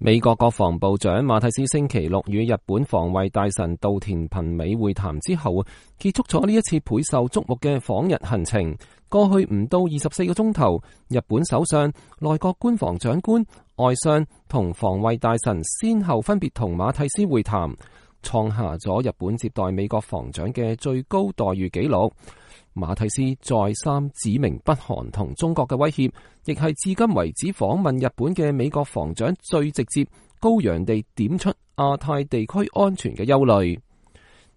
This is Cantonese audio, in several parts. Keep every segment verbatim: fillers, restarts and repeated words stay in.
美國國防部長馬蒂斯星期六與日本防衛大臣稻田朋美會談之後，結束咗呢一次倍受矚目嘅訪日行程。過去唔到二十四個鐘頭，日本首相、內閣官房長官、外相同防衛大臣先後分別同馬蒂斯會談，創下咗日本接待美國防長嘅最高待遇紀錄。馬蒂斯再三指明北韓同中國嘅威脅，亦係至今為止訪問日本嘅美國防長最直接、高揚地點出亞太地區安全嘅憂慮。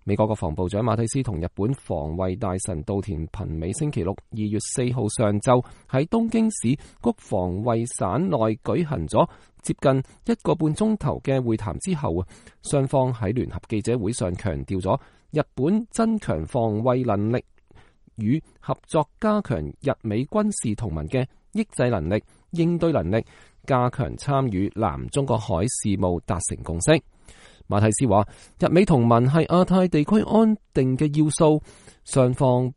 美國國防部長馬蒂斯同日本防衛大臣稻田朋美星期六二月四號上晝喺東京市谷防衛省內舉行咗接近一個半鐘頭嘅會談之後，雙方喺聯合記者會上強調咗日本增強防衛能力與合作，加強日美軍事同盟嘅抑制能力、應對能力，加強參與南中國海事務，達成共識。馬蒂斯話，日美同盟係亞太地區安定嘅要素，雙方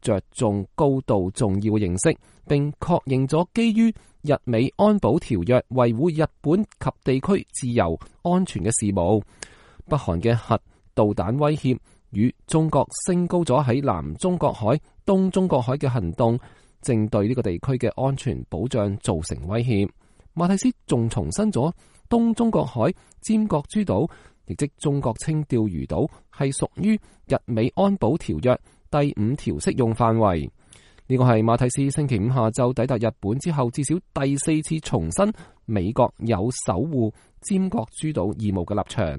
着重高度重要嘅認識，並確認咗基於日美安保條約維護日本及地區自由安全嘅事務。北韓嘅核導彈威脅與中國升高咗喺南中國海、東中國海嘅行動，正對呢個地區嘅安全保障造成威脅。馬蒂斯仲重申咗東中國海尖閣諸島，亦即中國稱釣魚島，係屬於日美安保條約第五條適用範圍。呢個係馬蒂斯星期五下晝抵達日本之後，至少第四次重申美國有守護尖閣諸島義務嘅立場。